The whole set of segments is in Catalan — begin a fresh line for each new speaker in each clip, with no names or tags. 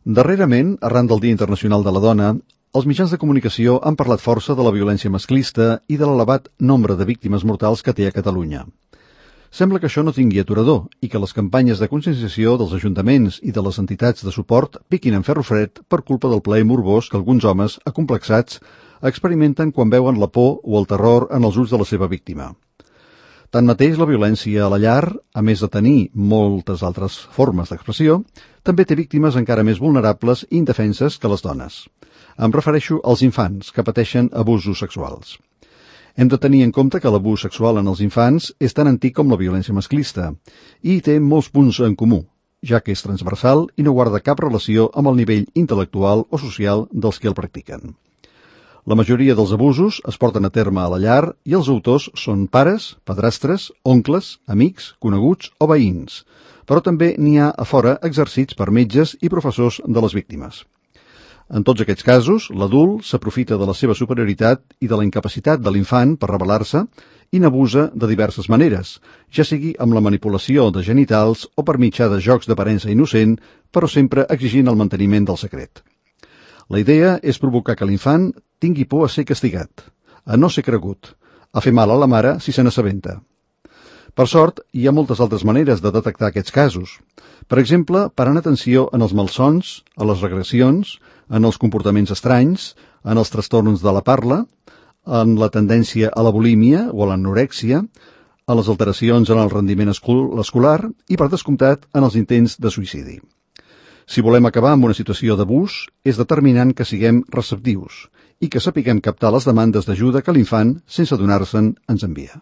Darrerament, arran del Dia Internacional de la Dona, els mitjans de comunicació han parlat força de la violència masclista i de l'elevat nombre de víctimes mortals que té a Catalunya. Sembla que això no tingui aturador i que les campanyes de conscienciació dels ajuntaments i de les entitats de suport piquin en ferro fred per culpa del plaer morbós que alguns homes, acomplexats, experimenten quan veuen la por o el terror en els ulls de la seva víctima. Tanmateix, la violència a la llar, a més de tenir moltes altres formes d'expressió, també té víctimes encara més vulnerables i indefenses que les dones. Em refereixo als infants que pateixen abusos sexuals. Hem de tenir en compte que l'abús sexual en els infants és tan antic com la violència masclista i té molts punts en comú, ja que és transversal i no guarda cap relació amb el nivell intel·lectual o social dels que el practiquen. La majoria dels abusos es porten a terme a la llar i els autors són pares, padrastres, oncles, amics, coneguts o veïns, però també n'hi ha a fora exercits per metges i professors de les víctimes. En tots aquests casos, l'adult s'aprofita de la seva superioritat i de la incapacitat de l'infant per rebel·lar-se i n'abusa de diverses maneres, ja sigui amb la manipulació de genitals o per mitjà de jocs d'aparença innocent, però sempre exigint el manteniment del secret. La idea és provocar que l'infant tingui por a ser castigat, a no ser cregut, a fer mal a la mare si se n'assabenta. Per sort, hi ha moltes altres maneres de detectar aquests casos. Per exemple, parant atenció en els malsons, a les regressions, en els comportaments estranys, en els trastorns de la parla, en la tendència a la bulímia o a l'anorèxia, en les alteracions en el rendiment escolar i, per descomptat, en els intents de suïcidi. Si volem acabar amb una situació d'abús, és determinant que siguem receptius i que sapiguem captar les demandes d'ajuda que l'infant, sense adonar-se'n, ens envia.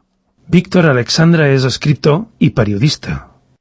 Víctor Alexandra és escriptor i periodista.